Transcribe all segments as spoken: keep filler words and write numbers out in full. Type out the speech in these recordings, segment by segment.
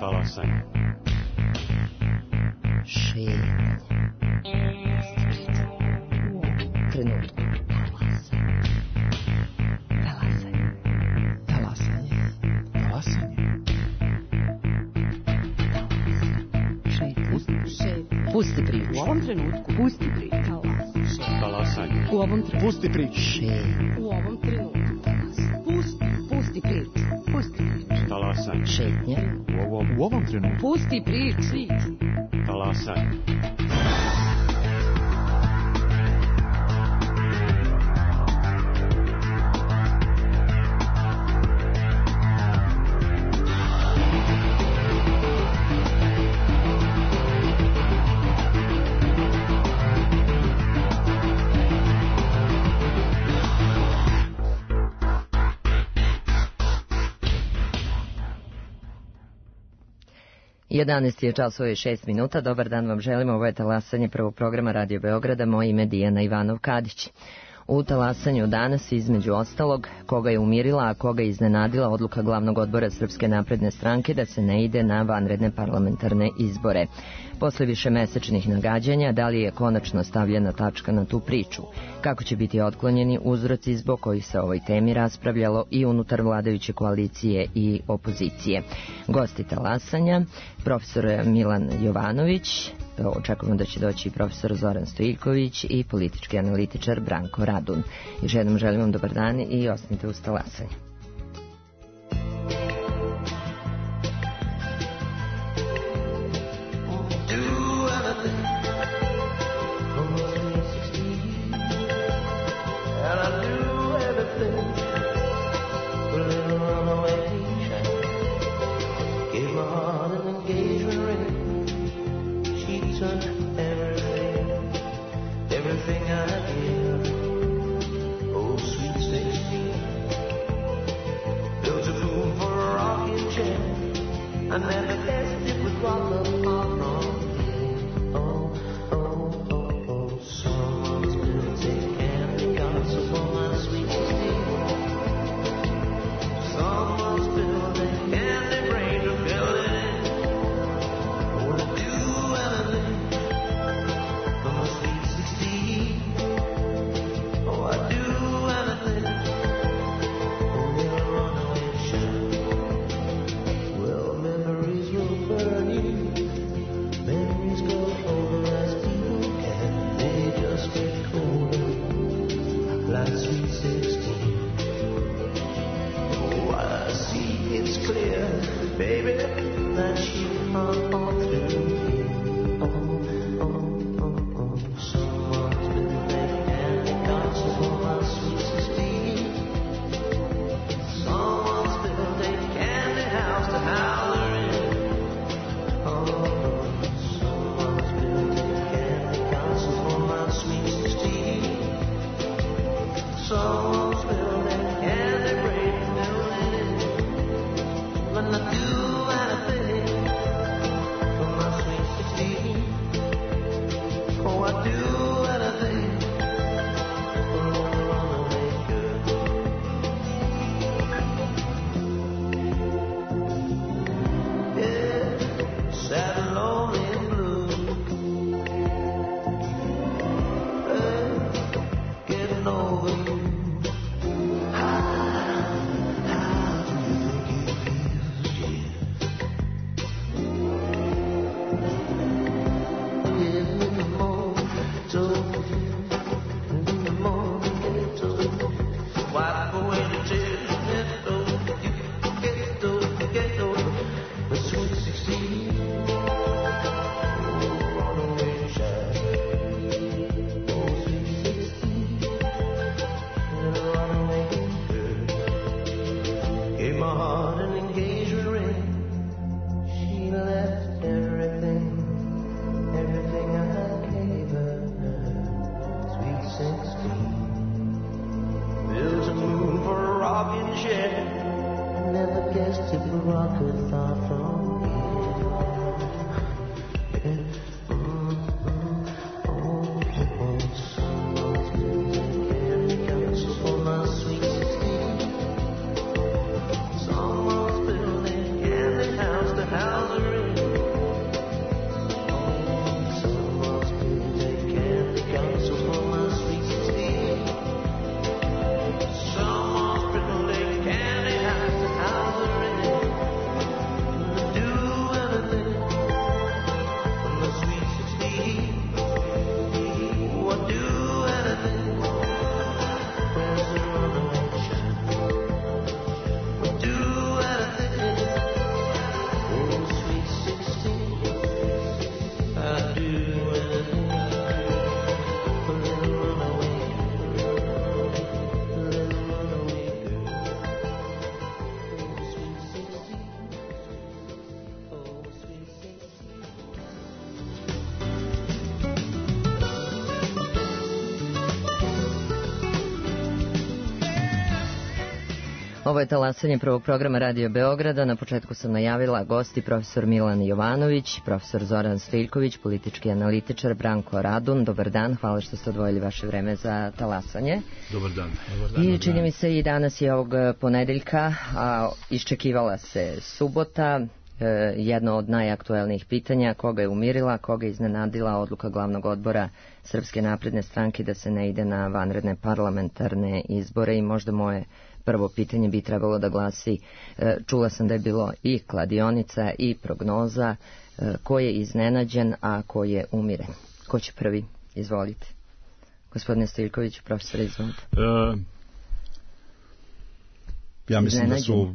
Talasanje. Šetnje. Trenutku. Talasanje. Talasanje. Talasanje. Šetnje. Pusti priču. U ovom trenutku. Pusti priču. Talasanje. U ovom trenutku. Pusti priču. Šetnje. U ovom trenutku. Pusti. Pusti priču. Pusti priču. Talasanje. Šetnje. U ovom, u ovom trenutku. Pusti priču. Talasanje. jedanaest je časova i šest minuta. Dobar dan vam želimo. Ovo je talasanje prvog programa Radio Beograda. Moje ime je Dijana Ivanov-Kadić. U talasanju danas, između ostalog, koga je umirila, a koga je iznenadila odluka glavnog odbora Srpske napredne stranke da se ne ide na vanredne parlamentarne izbore. Posle višemesečnih nagađanja, da li je konačno stavljena tačka na tu priču? Kako će biti otklonjeni uzroci zbog kojih se o ovoj temi raspravljalo i unutar vladajuće koalicije i opozicije? Gosti talasanja, profesor Milan Jovanović, očekujemo da će doći profesor Zoran Stojiljković i politički analitičar Branko Radun. Još jednom želim vam dobar dan i ostanite uz talasanje. House Ovo je talasanje prvog programa Radio Beograda. Na početku sam najavila gosti profesor Milan Jovanović, profesor Zoran Stiljković, politički analitičar, Branko Radun. Dobar dan, hvala što ste odvojili vaše vreme za talasanje. Dobar dan. Dobar dan. I čini mi se i danas je ovog ponedeljka, a iščekivala se subota. Jedno od najaktuelnijih pitanja, koga je umirila, koga je iznenadila odluka glavnog odbora Srpske napredne stranke da se ne ide na vanredne parlamentarne izbore. I možda moje prvo pitanje bi trebalo da glasi, čula sam da je bilo i kladionica i prognoza, ko je iznenađen, a ko je umiren. Ko će prvi? Izvolite. Gospodine Stiljković, profesor, izvolite. Uh... Ja mislim da su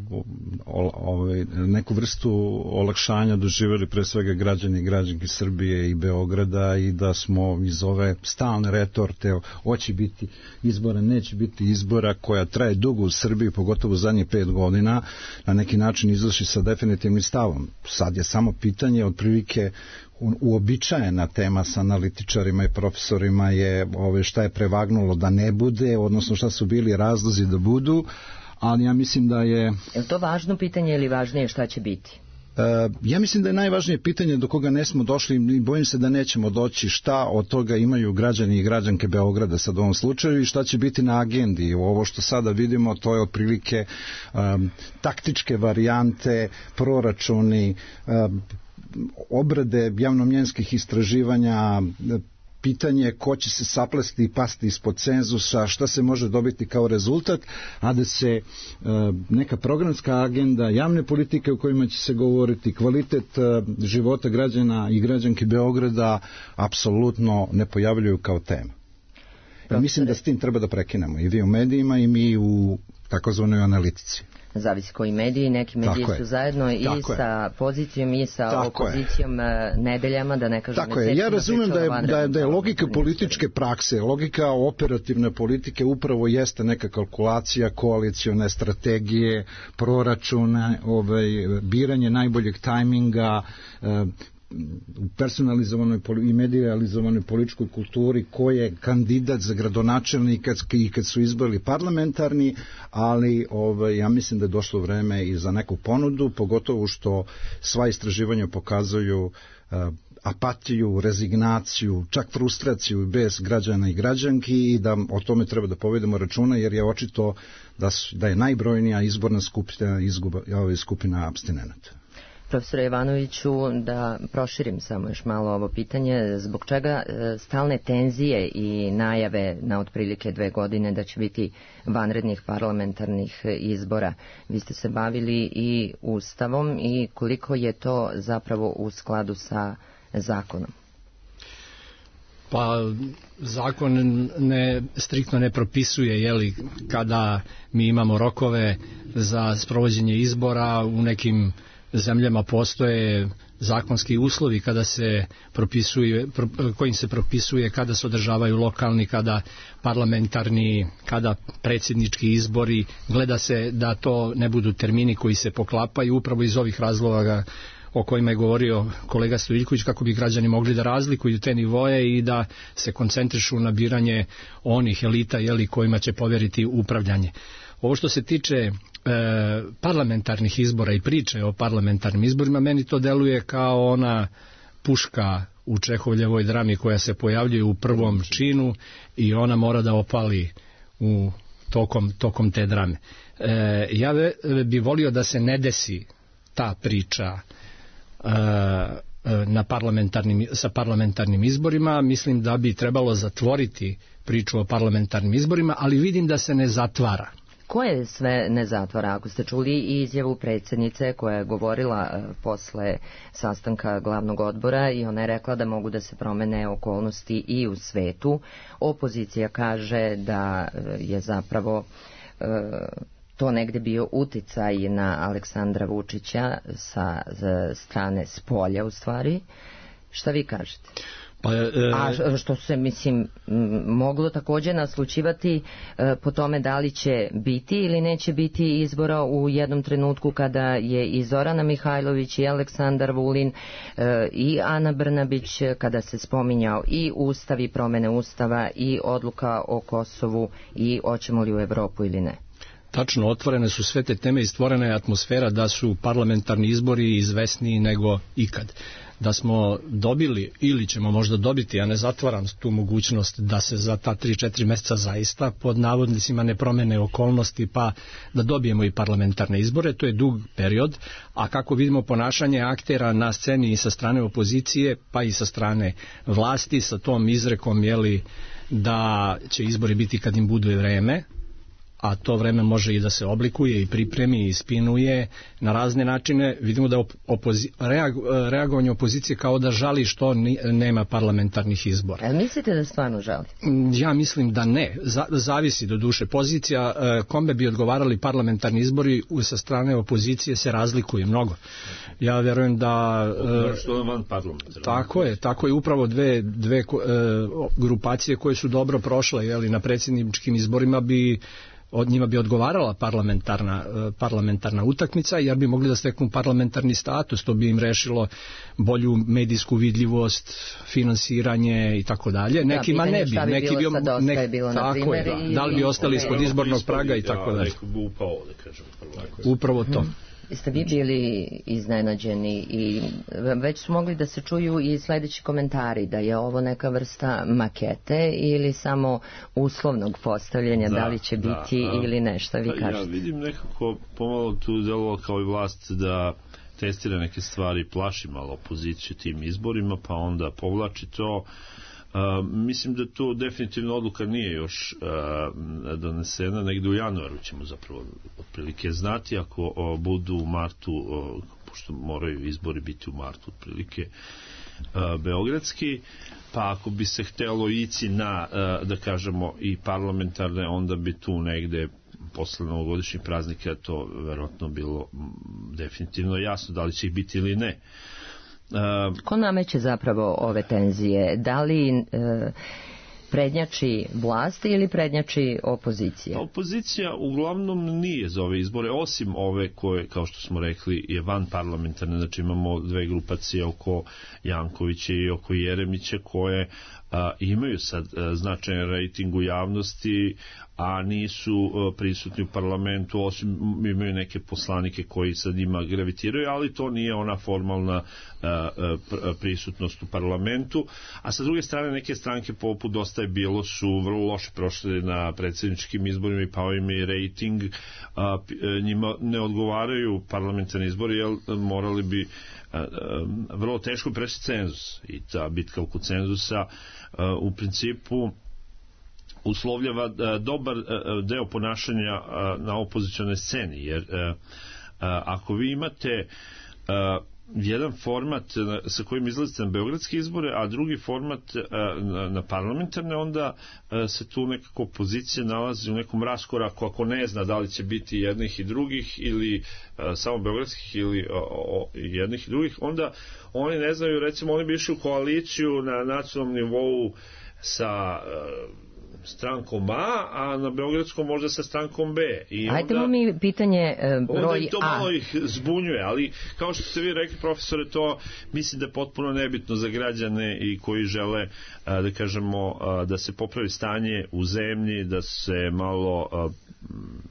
ovaj, neku vrstu olakšanja doživjeli pre svega građani i građanke Srbije i Beograda i da smo iz ove stalne retorte hoće biti izbora, neće biti izbora koja traje dugo u Srbiji, pogotovo u zadnjih pet godina, na neki način izašli sa definitivnim stavom. Sad je samo pitanje, otprilike uobičajena tema sa analitičarima i profesorima je ove, šta je prevagnulo da ne bude, odnosno šta su bili razlozi da budu, ali ja mislim da je... Je li to važno pitanje ili važnije šta će biti? Uh, ja mislim da je najvažnije pitanje do koga ne smo došli i bojim se da nećemo doći, šta od toga imaju građani i građanke Beograda sad u ovom slučaju i šta će biti na agendi. Ovo što sada vidimo, to je otprilike um, taktičke varijante, proračuni, um, obrade javnomnjenskih istraživanja, pitanje ko će se saplesti i pasti ispod cenzusa, šta se može dobiti kao rezultat, a da se e, neka programska agenda, javne politike u kojima će se govoriti, kvalitet e, života građana i građanki Beograda apsolutno ne pojavljuju kao tema. I mislim da s tim treba da prekinemo i vi u medijima i mi u takozvanoj analitici. Zavisi koji mediji, neki mediji Tako su je. zajedno i Tako sa je. pozicijom i sa Tako opozicijom je. nedeljama, da ne kažem Tako je, ja razumem da je, da je, da je logika političke prakse, logika operativne politike upravo jeste neka kalkulacija, koalicione strategije, proračuna, ovaj, biranje najboljeg tajminga, eh, u personalizovanoj i medializovanoj političkoj kulturi ko je kandidat za gradonačelnika i kad su izbori parlamentarni, ali ovaj, ja mislim da je došlo vreme i za neku ponudu, pogotovo što sva istraživanja pokazuju uh, apatiju, rezignaciju, čak frustraciju bez građana i građanki i da o tome treba da povedemo računa jer je očito da, su, da je najbrojnija izborna skupina, izguba, skupina apstinenata. Profesor Jovanoviću, da proširim samo još malo ovo pitanje, zbog čega stalne tenzije i najave na otprilike dve godine da će biti vanrednih parlamentarnih izbora? Vi ste se bavili i Ustavom i koliko je to zapravo u skladu sa zakonom? Pa zakon ne, striktno ne propisuje jeli, kada mi imamo rokove za sprovođenje izbora. U nekim zemljama postoje zakonski uslovi kada se propisuje, kojim se propisuje kada se održavaju lokalni, kada parlamentarni, kada predsjednički izbori. Gleda se da to ne budu termini koji se poklapaju upravo iz ovih razloga o kojima je govorio kolega Stiljković, kako bi građani mogli da razlikuju te nivoje i da se koncentrišu na biranje onih elita jeli, kojima će poveriti upravljanje. Ovo što se tiče e, parlamentarnih izbora i priče o parlamentarnim izborima, meni to deluje kao ona puška u Čehovljevoj drami koja se pojavljuje u prvom činu i ona mora da opali u tokom, tokom te drame. E, ja bi volio da se ne desi ta priča e, na parlamentarnim, sa parlamentarnim izborima. Mislim da bi trebalo zatvoriti priču o parlamentarnim izborima, ali vidim da se ne zatvara. Koje sve ne zatvara? Ako ste čuli i izjavu predsjednice koja je govorila posle sastanka glavnog odbora i ona je rekla da mogu da se promene okolnosti i u svetu. Opozicija kaže da je zapravo e, to negde bio uticaj na Aleksandra Vučića sa strane spolja u stvari. Šta vi kažete? Pa, e, A što se, mislim, moglo također naslučivati e, po tome da li će biti ili neće biti izbora u jednom trenutku kada je i Zorana Mihajlović i Aleksandar Vulin e, i Ana Brnabić, kada se spominjao i Ustav i promene Ustava i odluka o Kosovu i hoćemo li u Evropu ili ne? Tačno, otvorene su sve te teme i stvorena je atmosfera da su parlamentarni izbori izvesniji nego ikad. Da smo dobili ili ćemo možda dobiti, ja ne zatvaram tu mogućnost da se za ta tri četiri meseca zaista pod navodnicima ne promene okolnosti pa da dobijemo i parlamentarne izbore, to je dug period, a kako vidimo ponašanje aktera na sceni i sa strane opozicije pa i sa strane vlasti sa tom izrekom jeli, da će izbori biti kad im bude vreme, a to vreme može i da se oblikuje i pripremi i spinuje na razne načine. Vidimo da opozi- reag, reagovanje opozicije kao da žali što ni, nema parlamentarnih izbora. A mislite da stvarno žali? Ja mislim da ne. Z- zavisi do duše. Pozicija kome bi odgovarali parlamentarni izbori sa strane opozicije se razlikuje mnogo. Ja verujem da... Što je van parlamentarni. Tako je, tako je upravo dve, dve grupacije koje su dobro prošle, jeli, na predsjedničkim izborima bi od njima bi odgovarala parlamentarna, parlamentarna utakmica, jer bi mogli da steknu parlamentarni status, to bi im rešilo bolju medijsku vidljivost, finansiranje i tako dalje. Nekima ne bi. Neki bi, nek, bilo, tako je, da, da li bi ostali ispod izbornog praga i tako dalje. Upravo to. Jeste vi bili iznenađeni i već su mogli da se čuju i sledeći komentari da je ovo neka vrsta makete ili samo uslovnog postavljanja, da, da li će da, biti a, ili nešto, vi kažete? Ja vidim nekako pomalo tu delovalo kao i vlast da testira neke stvari, plaši malo opoziciju tim izborima, pa onda povlači to. Uh, mislim da to definitivno odluka nije još uh, donesena, negde u januaru ćemo zapravo otprilike znati, ako uh, budu u martu, uh, pošto moraju izbori biti u martu otprilike uh, beogradski, pa ako bi se htelo ići na, uh, da kažemo, i parlamentarne, onda bi tu negde posle novogodišnjih praznika to verovatno bilo definitivno jasno da li će ih biti ili ne. Uh, Ko nameće zapravo ove tenzije? Da li uh, prednjači vlast ili prednjači opozicija? Opozicija uglavnom nije za ove izbore, osim ove koje, kao što smo rekli, je van parlamentarne, znači imamo dve grupacije oko Jankovića i oko Jeremića koje a, imaju sad a, značajan rejting u javnosti, a nisu a, prisutni u parlamentu, osim imaju neke poslanike koji sad njima gravitiraju, ali to nije ona formalna a, a, prisutnost u parlamentu. A sa druge strane neke stranke poput Dosta je bilo su vrlo loše prošle na predsjedničkim izborima i pao im je rejting, a, njima ne odgovaraju parlamentarni izbori, jer morali bi a, a, vrlo teško preći cenzus i ta bitka oko cenzusa a, u principu uslovljava a, dobar a, deo ponašanja a, na opozicionoj sceni, jer a, a, ako vi imate a, jedan format sa kojim izlazite na beogradske izbore, a drugi format na, na parlamentarne, onda se tu nekako opozicija nalazi u nekom raskoraku, ako ne zna da li će biti jednih i drugih ili samo beogradskih ili o, o, jednih i drugih, onda oni ne znaju, recimo oni bi išli u koaliciju na nacionalnom nivou sa strankom A, a na beogradskom možda sa strankom B. I Ajdemo mi pitanje e, broj A. To malo ih zbunjuje, ali kao što ste vi rekli, profesore, to mislim da je potpuno nebitno za građane i koji žele, a, da kažemo, a, da se popravi stanje u zemlji, da se malo a,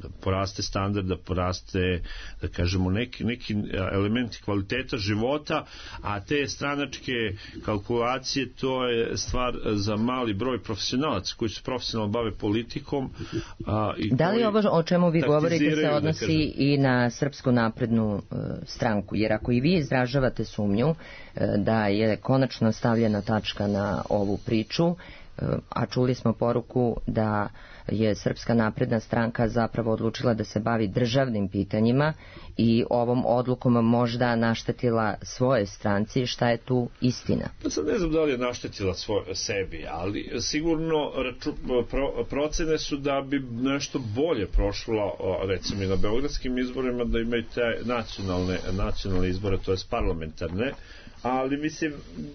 da poraste standard, da poraste, da kažemo, neki, neki elementi kvaliteta života, a te stranačke kalkulacije, to je stvar za mali broj profesionalaca koji su profesionalno bave politikom. A, i da li ovo o čemu vi govorite se odnosi da i na Srpsku naprednu uh, stranku? Jer ako i vi izražavate sumnju uh, da je konačno stavljena tačka na ovu priču, uh, a čuli smo poruku da je Srpska napredna stranka zapravo odlučila da se bavi državnim pitanjima i ovom odlukom možda naštetila svoje stranci, šta je tu istina? Pa sad ne znam da li je naštetila svoj, sebi, ali sigurno raču, pro, procene su da bi nešto bolje prošlo, recimo i na beogradskim izborima, da imaju te nacionalne, nacionalne izbore, to je parlamentarne, ali mislim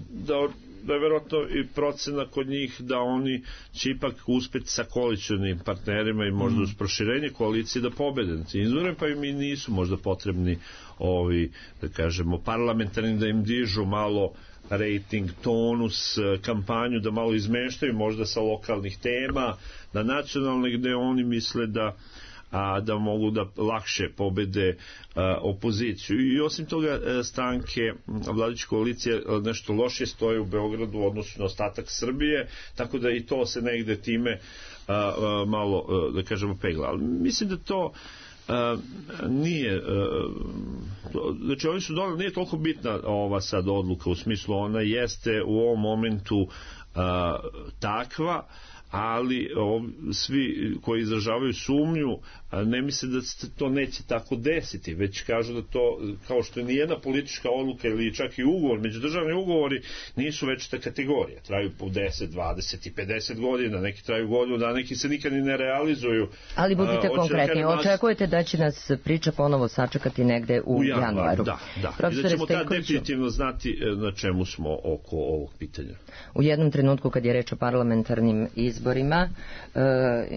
da da je verovatno i procena kod njih da oni će ipak uspeti sa koalicionim partnerima i možda uz proširenje koalicije da pobede na tim izborima, pa im i nisu možda potrebni ovi, da kažemo, parlamentarni, da im dižu malo rating, tonus, kampanju, da malo izmeštaju možda sa lokalnih tema na nacionalne, gde oni misle da a da mogu da lakše pobede a, opoziciju. I osim toga a, stranke vladajuće koalicije nešto loše stoje u Beogradu u odnosu na ostatak Srbije, tako da i to se negde time a, a, malo, a, da kažemo, pegla. Ali mislim da to a, nije a, znači oni su donali, nije toliko bitna ova sad odluka, u smislu ona jeste u ovom momentu a, takva, ali o, svi koji izražavaju sumnju ne misle da se to neće tako desiti, već kažu da to, kao što je nijedna politička odluka ili čak i ugovor, međudržavni ugovori nisu večita kategorija, traju po deset, dvadeset i pedeset godina, neki traju godinu, da neki se nikad ni ne realizuju. Ali budite A, konkretni, nas... očekujete da će nas priča ponovo sačekati negde u, u januaru, januaru. Da, da. Profesor I da ćemo tad Stojkoviću, definitivno znati na čemu smo oko ovog pitanja. U jednom trenutku kad je reč o parlamentarnim izborima, uh,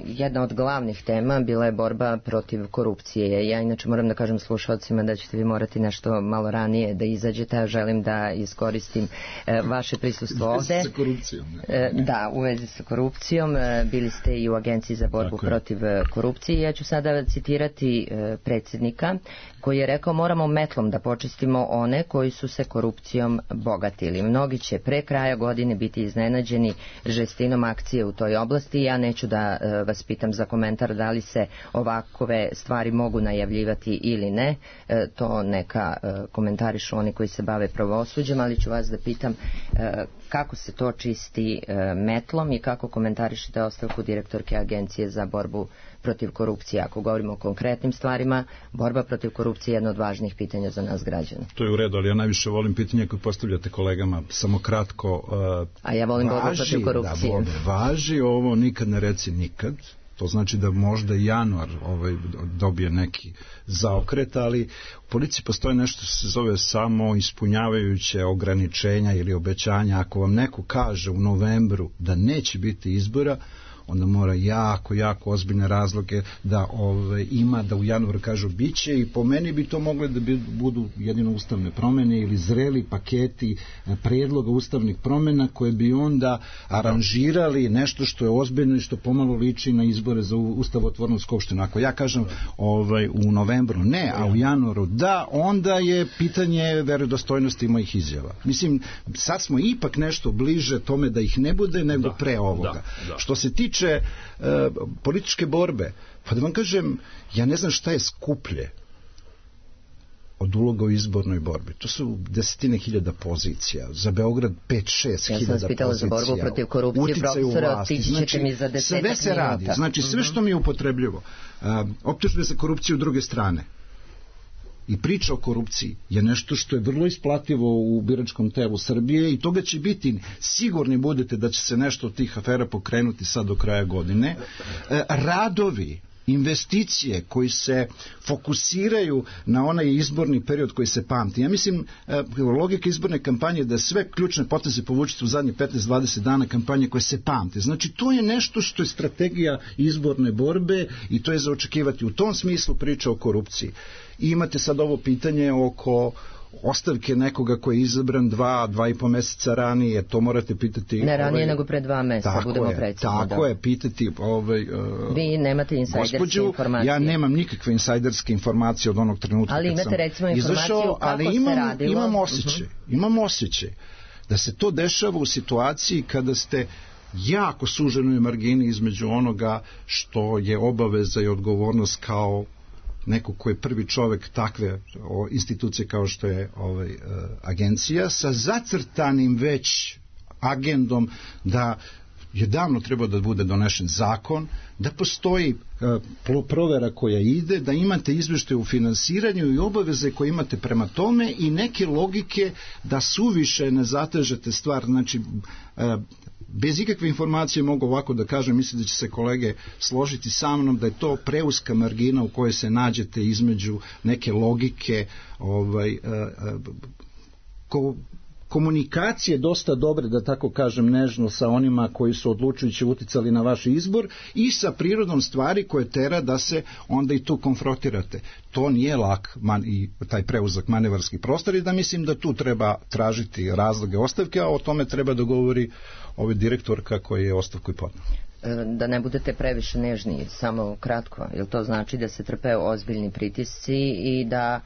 jedna od glavnih tema bila je borba protiv korupcije. Ja inače moram da kažem slušalcima da ćete vi morati nešto malo ranije da izađete, a želim da iskoristim uh, vaše prisustvo ovde. U vezi sa korupcijom. Ne? Uh, da, u vezi sa korupcijom. Uh, bili ste i u Agenciji za borbu Tako protiv je. korupcije. Ja ću sada citirati uh, predsjednika koji je rekao: moramo metlom da počistimo one koji su se korupcijom bogatili. Mnogi će pre kraja godine biti iznenađeni žestinom akcije u toj oblasti. Ja neću da uh, vas pitam za komentar da li se ovakove stvari mogu najavljivati ili ne. Uh, to neka uh, komentarišu oni koji se bave pravosuđem, ali ću vas da pitam uh, kako se to čisti uh, metlom i kako komentarišete ostavku direktorke Agencije za borbu protiv korupcije. Ako govorimo o konkretnim stvarima, borba protiv korupcije je jedno od važnijih pitanja za nas građane. To je u redu, ali ja najviše volim pitanje koje postavljate kolegama. Samo kratko. Uh, A ja volim borbu protiv korupcije. Da, važi ovo nikad ne reci nikad. To znači da možda januar ovaj, dobije neki zaokret, ali u policiji postoji nešto što se zove samo ispunjavajuće ograničenja ili obećanja. Ako vam neko kaže u novembru da neće biti izbora, onda mora jako, jako ozbiljne razloge da ove, ima, da u januaru kažu biće, i po meni bi to mogle da bi, budu jedino ustavne promene ili zreli paketi predloga ustavnih promena koje bi onda aranžirali nešto što je ozbiljno i što pomalo liči na izbore za ustavotvornu skupštinu. Ako ja kažem ovaj, u novembru ne, a u januaru da, onda je pitanje verodostojnosti mojih izjava. Mislim, sad smo ipak nešto bliže tome da ih ne bude nego da, pre ovoga. Da, da. Što se tiče e, političke borbe, pa da vam kažem, ja ne znam šta je skuplje od uloga u izbornoj borbi. To su desetine hiljada pozicija. Za Beograd pet šest hiljada pozicija. Ja sam vas pitala za borbu protiv korupcije, profesora, otići ćete znači, mi za desetak minuta. Sve se radi. Znači, sve što mi je upotrebljivo. Optužbe za korupciju druge strane i priča o korupciji je nešto što je vrlo isplativo u biračkom telu Srbije i toga će biti, sigurni budete da će se nešto od tih afera pokrenuti sad do kraja godine. Radovi, investicije koji se fokusiraju na onaj izborni period koji se pamti. Ja mislim, logika izborne kampanje je da sve ključne poteze povučete u zadnje petnaest dvadeset dana kampanje koje se pamte. Znači, to je nešto što je strategija izborne borbe i to je za očekivati. U tom smislu priča o korupciji. I imate sad ovo pitanje oko ostavke nekoga koji je izabran dva, dva i po meseca ranije, to morate pitati... Ne ranije ovaj, nego pre dva meseca, budemo precizni. Tako da. je, pitati... Ovaj, uh, Vi nemate insajderske gospođu, informacije. Ja nemam nikakve insajderske informacije od onog trenutka ali kad sam imate recimo informaciju izašao, kako ali imam, se radilo. imam osjećaj, uh-huh. imam osjećaj da se to dešava u situaciji kada ste jako suženoj margini između onoga što je obaveza i odgovornost kao neko ko je prvi čovek takve o, institucije kao što je ovaj, e, agencija, sa zacrtanim već agendom da je davno trebao da bude donešen zakon, da postoji e, provera koja ide, da imate izveštaje u finansiranju i obaveze koje imate prema tome i neke logike da suviše ne zatežete stvar. Znači, e, bez ikakve informacije mogu ovako da kažem, mislim da će se kolege složiti sa mnom da je to preuska margina u kojoj se nađete između neke logike ovaj, e, ko, komunikacije dosta dobre, da tako kažem nežno, sa onima koji su odlučujući uticali na vaš izbor i sa prirodom stvari koje tera da se onda i tu konfrontirate. To nije lak man, i taj preuzak manevarski prostor i da mislim da tu treba tražiti razloge ostavke, a o tome treba da govori ovaj direktorka koji je ostavku i podnao. Da ne budete previše nežni, samo kratko, jer to znači da se trpe ozbiljni pritisci i da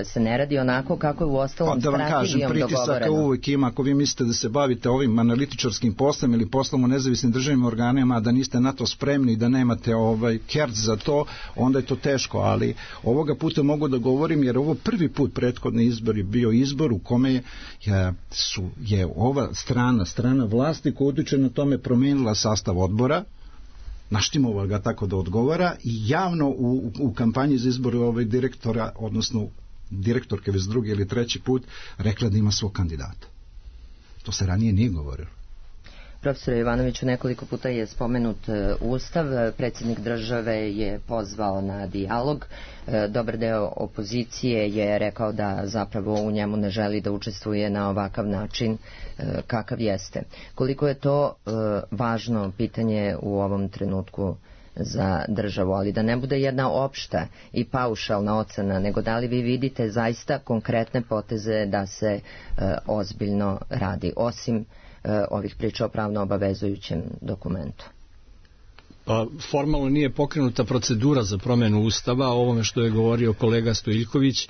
se ne radi onako kako je u ostalom strategijom dogovoreno. Da vam kažem, pritisaka uvijek ima, ako vi mislite da se bavite ovim analitičarskim poslom ili poslom u nezavisnim državnim organima, a da niste na to spremni i da nemate ovaj kerc za to, onda je to teško, ali ovoga puta mogu da govorim, jer ovo prvi put prethodni izbor je bio izbor u kome je, su, je ova strana, strana vlasti koja utiče na tome promenila sastav odbora, naštimovala ga tako da odgovara i javno u, u kampanji za izbor ovaj direktora, odnosno direktorke već drugi ili treći put rekla da ima svog kandidata. To se ranije nije govorilo. Profesor Jovanoviću, nekoliko puta je spomenut Ustav, predsjednik države je pozvao na dijalog, dobar deo opozicije je rekao da zapravo u njemu ne želi da učestvuje na ovakav način kakav jeste. Koliko je to važno pitanje u ovom trenutku za državu, ali da ne bude jedna opšta i paušalna ocena, nego da li vi vidite zaista konkretne poteze da se ozbiljno radi, osim ovih priča o pravno obavezujućem dokumentu? Pa formalno nije pokrenuta procedura za promjenu Ustava, o ovome što je govorio kolega Stojiljković,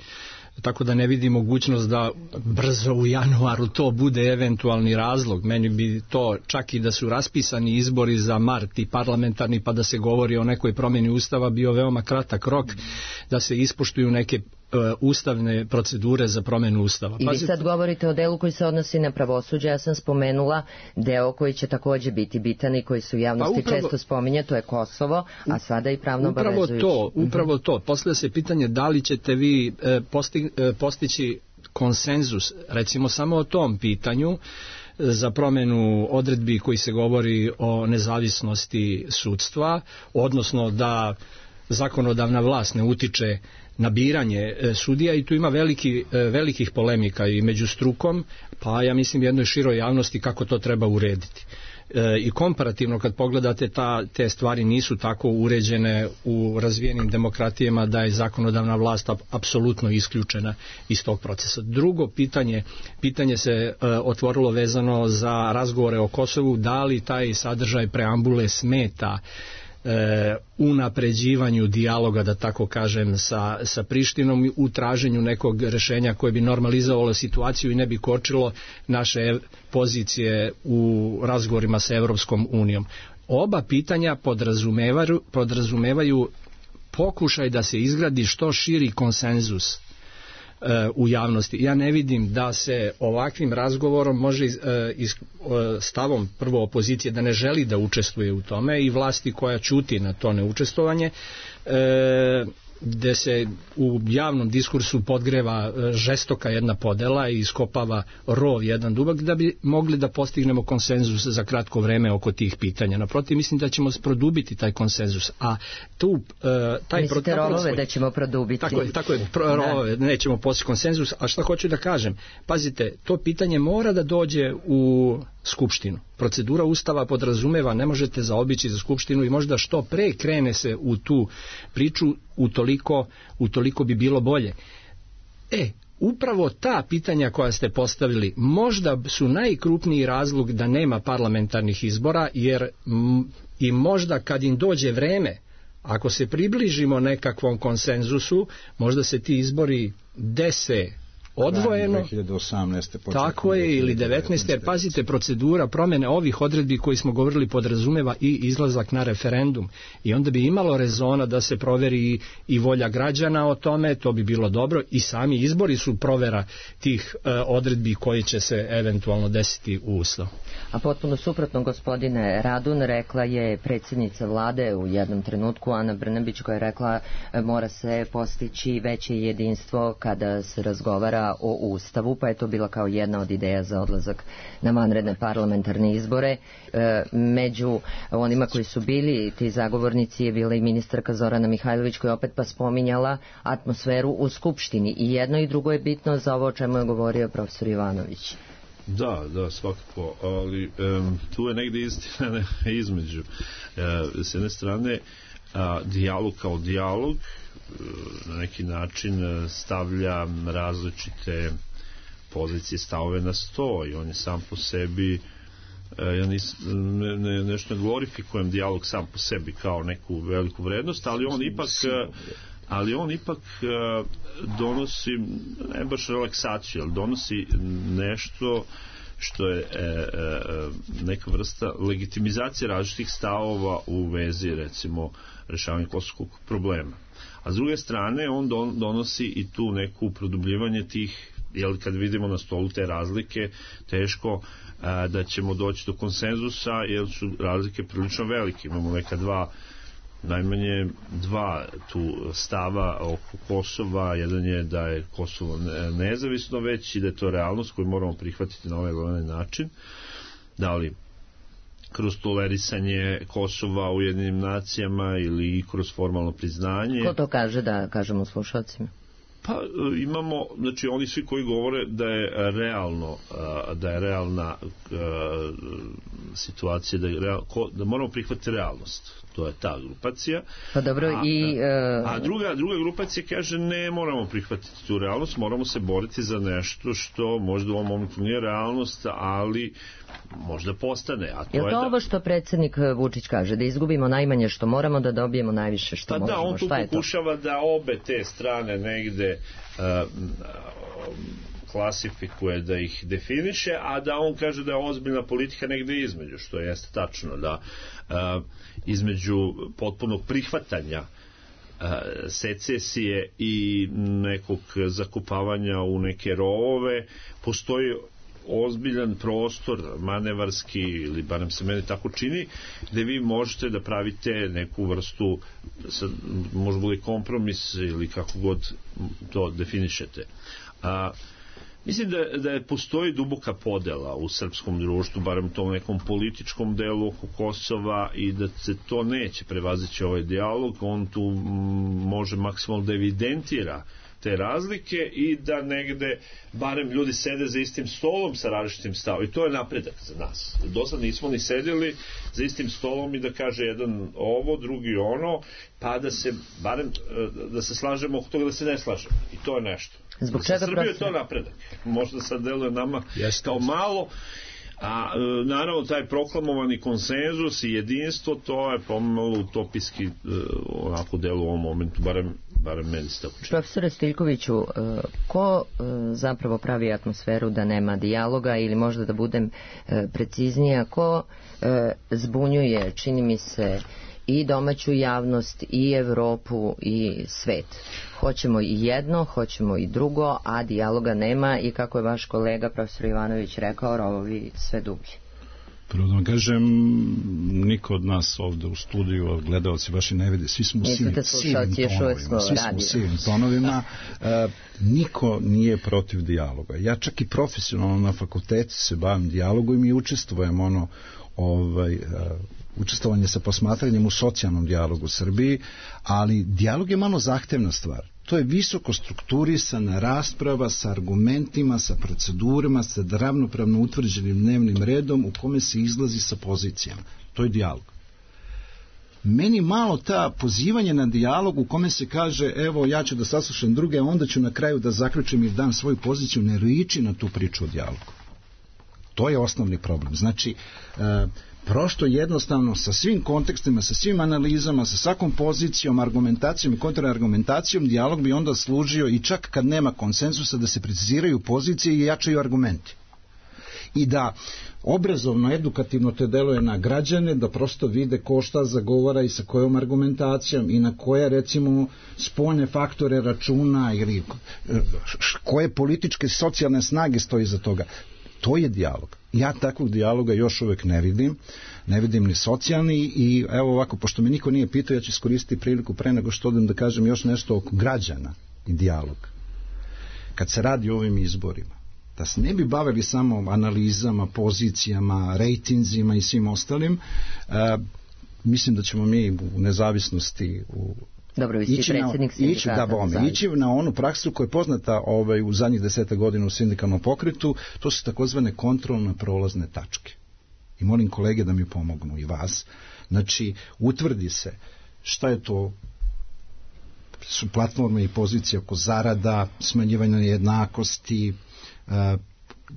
tako da ne vidi mogućnost da brzo u januaru to bude eventualni razlog. Meni bi to, čak i da su raspisani izbori za mart i parlamentarni, pa da se govori o nekoj promjeni Ustava, bio veoma kratak rok da se ispoštuju neke ustavne procedure za promjenu Ustava. I vi sad govorite o delu koji se odnosi na pravosuđe, ja sam spomenula deo koji će također biti bitan i koji su u javnosti pa upravo, često spominje, to je Kosovo, a sada i pravno obavezujući. Upravo to, upravo to. Postavlja se pitanje da li ćete vi posti, postići konsenzus, recimo samo o tom pitanju, za promjenu odredbi koji se govori o nezavisnosti sudstva, odnosno da zakonodavna vlast ne utiče na biranje sudija, i tu ima veliki, velikih polemika i među strukom, pa ja mislim jednoj široj javnosti kako to treba urediti. E, i komparativno kad pogledate, ta, te stvari nisu tako uređene u razvijenim demokratijama da je zakonodavna vlast apsolutno isključena iz tog procesa. Drugo pitanje, pitanje se e, otvorilo vezano za razgovore o Kosovu, da li taj sadržaj preambule smeta E, unapređivanju dijaloga, da tako kažem, sa, sa Prištinom, u traženju nekog rješenja koje bi normalizovalo situaciju i ne bi kočilo naše pozicije u razgovorima sa Evropskom unijom. Oba pitanja podrazumevaju, podrazumevaju pokušaj da se izgradi što širi konsenzus u javnosti. Ja ne vidim da se ovakvim razgovorom može iz, stavom prvo opozicije da ne želi da učestvuje u tome i vlasti koja ćuti na to neučestvovanje, gde se u javnom diskursu podgreva žestoka jedna podela i iskopava rov jedan dubak, da bi mogli da postignemo konsenzus za kratko vreme oko tih pitanja. Naprotiv, mislim da ćemo produbiti taj konsenzus, a tu taj mislite rovove da ćemo produbiti. Tako je, tako je pro, rovove, nećemo postići konsenzus, a šta hoću da kažem, pazite, to pitanje mora da dođe u Skupštinu. Procedura Ustava podrazumeva, ne možete zaobići za Skupštinu i možda što pre krene se u tu priču, utoliko, utoliko bi bilo bolje. E, upravo ta pitanja koja ste postavili možda su najkrupniji razlog da nema parlamentarnih izbora, jer m, i možda kad im dođe vreme, ako se približimo nekakvom konsenzusu, možda se ti izbori dese odvojeno, dve hiljade osamnaeste tako je, ili devetnaeste, jer pazite, procedura promjene ovih odredbi koji smo govorili podrazumeva i izlazak na referendum, i onda bi imalo rezona da se proveri i, i volja građana o tome, to bi bilo dobro, i sami izbori su provera tih e, odredbi koji će se eventualno desiti u Ustavu. A potpuno suprotno, gospodine Radun, rekla je predsjednica vlade u jednom trenutku, Ana Brnabić, koja je rekla mora se postići veće jedinstvo kada se razgovara o Ustavu, pa je to bila kao jedna od ideja za odlazak na vanredne parlamentarne izbore. E, među onima koji su bili ti zagovornici je bila i ministarka Zorana Mihajlović, koja opet pa spominjala atmosferu u Skupštini, i jedno i drugo je bitno za ovo o čemu je govorio profesor Jovanović. Da, da, svakako, ali um, tu je negdje istina između. E, s jedne strane, a, dijalog kao dijalog na neki način stavlja različite pozicije, stavove na sto, i on je sam po sebi ja nis, ne, ne, nešto ne glorifikujem dijalog sam po sebi kao neku veliku vrednost, ali on ipak ali on ipak donosi ne baš relaksaciju, ali donosi nešto što je e, e, neka vrsta legitimizacije različitih stavova u vezi recimo rešavanja kosovskog problema. A s druge strane on don, donosi i tu neku produbljivanje tih, jer kad vidimo na stolu te razlike, teško a, da ćemo doći do konsenzusa, jer su razlike prilično velike. Imamo neka dva, najmanje dva tu stava oko Kosova. Jedan je da je Kosovo nezavisno već i da je to realnost koju moramo prihvatiti na ovaj ili onaj način. Da li kroz tolerisanje Kosova u Ujedinjenim nacijama ili kroz formalno priznanje. Ko to kaže, da kažemo slušalcima? Pa imamo, znači oni svi koji govore da je realno, da je realna situacija, da, je real, da moramo prihvatiti realnost. To je ta grupacija. Pa dobro, a, i... Uh... A druga, druga grupacija kaže ne moramo prihvatiti tu realnost, moramo se boriti za nešto što možda u ovom momentu nije realnost, ali možda postane. A to je to je da... ovo što predsjednik Vučić kaže, da izgubimo najmanje što moramo, da dobijemo najviše što pa možemo? Da, on tu Šta pokušava da obe te strane negde uh, klasifikuje, da ih definiše, a da on kaže da je ozbiljna politika negde između, što jeste tačno, da uh, između potpunog prihvatanja uh, secesije i nekog zakupavanja u neke rovove postoji ozbiljan prostor manevarski, ili barem se meni tako čini, gde vi možete da pravite neku vrstu, možda bude kompromis ili kako god to definišete. A mislim da, da je postoji duboka podela u srpskom društvu, barem u tom nekom političkom delu oko Kosova, i da se to neće prevazići ovaj dijalog. On tu m, može maksimalno da evidentira te razlike i da negde barem ljudi sede za istim stolom sa različitim stavom. I to je napredak za nas. Do sad nismo ni sedeli za istim stolom i da kaže jedan ovo, drugi ono, pa da se barem da se slažemo oko toga da se ne slažemo. I to je nešto. Zbog čega Srbije je to napredak. Možda sad deluje nama yes, kao malo, a naravno taj proklamovani konsenzus i jedinstvo, to je pomalo utopijski onako delu u ovom momentu, barem barem meni se tako čini. Profesore Stiljkoviću, ko zapravo pravi atmosferu da nema dijaloga, ili možda da budem preciznija, ko zbunjuje, čini mi se, i domaću javnost, i Evropu, i svet? Hoćemo i jedno, hoćemo i drugo, a dijaloga nema, i kako je vaš kolega profesor Ivanović rekao, rovovi sve dublji. Prvo da vam kažem, niko od nas ovde u studiju, gledalci vaši ne vide, svi smo u sivim tonovima, svi smo u sivim tonovima, e, niko nije protiv dijaloga. Ja čak i profesionalno na fakultetu se bavim dijalogom i učestvujem ono, ovaj, e, učestvovanje sa posmatranjem u socijalnom dijalogu u Srbiji, ali dijalog je malo zahtevna stvar. To je visoko strukturisana rasprava sa argumentima, sa procedurama, sa ravnopravno utvrđenim dnevnim redom u kome se izlazi sa pozicijama. To je dijalog. Meni malo ta pozivanje na dijalog u kome se kaže evo ja ću da saslušam druge, a onda ću na kraju da zaključim i dam svoju poziciju, ne liči na tu priču o dijalogu. To je osnovni problem. Znači, e, prosto jednostavno sa svim kontekstima, sa svim analizama, sa svakom pozicijom, argumentacijom i kontraargumentacijom, dijalog bi onda služio i čak kad nema konsenzusa da se preciziraju pozicije i jačaju argumenti. I da obrazovno, edukativno te deluje na građane, da prosto vide ko šta zagovara i sa kojom argumentacijom i na koje recimo spoljne faktore računa ili koje političke socijalne snage stoji za toga. To je dijalog. Ja takvog dijaloga još uvek ne vidim, ne vidim ni socijalni, i evo ovako, pošto me niko nije pitao, ja ću iskoristiti priliku pre nego što odem da kažem još nešto oko građana i dijaloga. Kad se radi o ovim izborima, da se ne bi bavili samo analizama, pozicijama, rejtinzima i svim ostalim, uh, mislim da ćemo mi u nezavisnosti u Dobro, vi ste predsjednik sindikata. Da, bome, ići na onu praksu koja je poznata ovaj, u zadnjih deseta godina u sindikalnom pokretu, to su takozvane kontrolne prolazne tačke. I molim kolege da mi pomognu i vas. Znači, utvrdi se šta je to, su platforme i pozicije oko zarada, smanjivanja nejednakosti,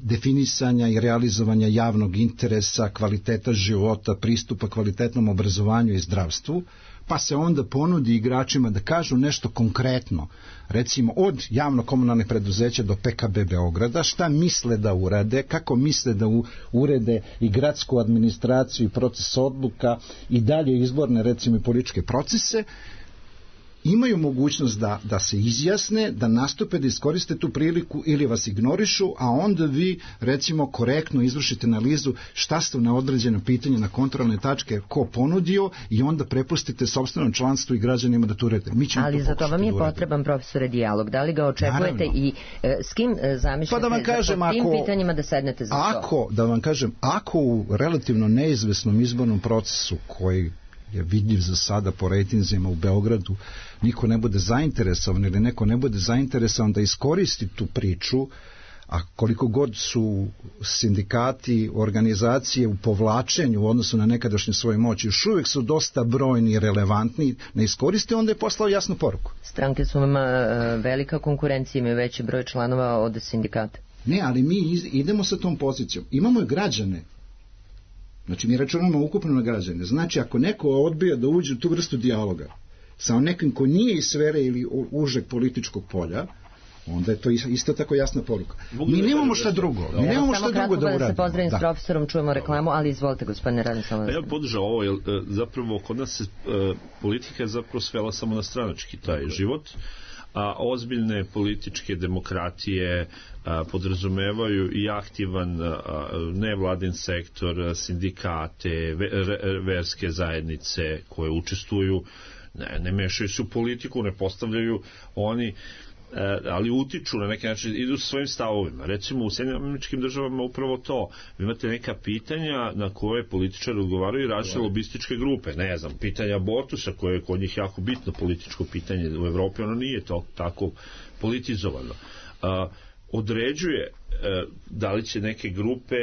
definisanja i realizovanja javnog interesa, kvaliteta života, pristupa kvalitetnom obrazovanju i zdravstvu, pa se onda ponudi igračima da kažu nešto konkretno, recimo od javno-komunalnih preduzeća do P K B Beograda, šta misle da urade, kako misle da u, urede i gradsku administraciju i proces odluka i dalje izborne, recimo, i političke procese, imaju mogućnost da, da se izjasne, da nastupe, da iskoriste tu priliku ili vas ignorišu, a onda vi, recimo, korektno izvršite analizu šta ste na određeno pitanje, na kontrolne tačke, ko ponudio, i onda prepustite sopstvenom članstvu i građanima da to urede. Mi ćemo Ali to za to vam je da potreban, profesore, dijalog. Da li ga očekujete? Naravno. I e, s kim e, zamišljate Pa da vam kažem, za tim ako, pitanjima da sednete za ako, to? Da vam kažem, ako u relativno neizvesnom izbornom procesu koji je vidljiv za sada po rejtinzima u Beogradu, niko ne bude zainteresovan ili neko ne bude zainteresovan da iskoristi tu priču, a koliko god su sindikati, organizacije u povlačenju u odnosu na nekadašnju svoju moć, još uvijek su dosta brojni i relevantni, ne iskoriste, onda je poslao jasnu poruku. Stranke su vam velika konkurencija, imaju veći broj članova od sindikata. Ne, ali mi idemo sa tom pozicijom. Imamo i građane. Znači, mi računamo ukupno na građane. Znači, ako neko odbija da uđe u tu vrstu dijaloga sa nekim ko nije iz sfere ili užeg političkog polja, onda je to isto tako jasna poruka. Mi nemamo šta drugo. Mi nemamo šta drugo da uradimo. Da se pozdravim s profesorom, čujemo reklamu, ali izvolite, gospodine Radoslavljević. Ja bih podržao ovo, jer zapravo kod nas se politika je zapravo svela samo na stranački taj život, a ozbiljne političke demokratije a, podrazumevaju i aktivan a, nevladin sektor, sindikate, ve, re, verske zajednice koje učestvuju, ne, ne mešaju se u politiku, ne postavljaju oni, ali utiču na neki način, idu sa svojim stavovima. Recimo u Sjedinjenim Američkim Državama upravo to. Vi imate neka pitanja na koje političari odgovaraju i različite lobističke grupe. Ne znam, pitanja abortusa koje je kod njih jako bitno političko pitanje. U Evropi ono nije to tako politizovano. A, određuje da li će neke grupe,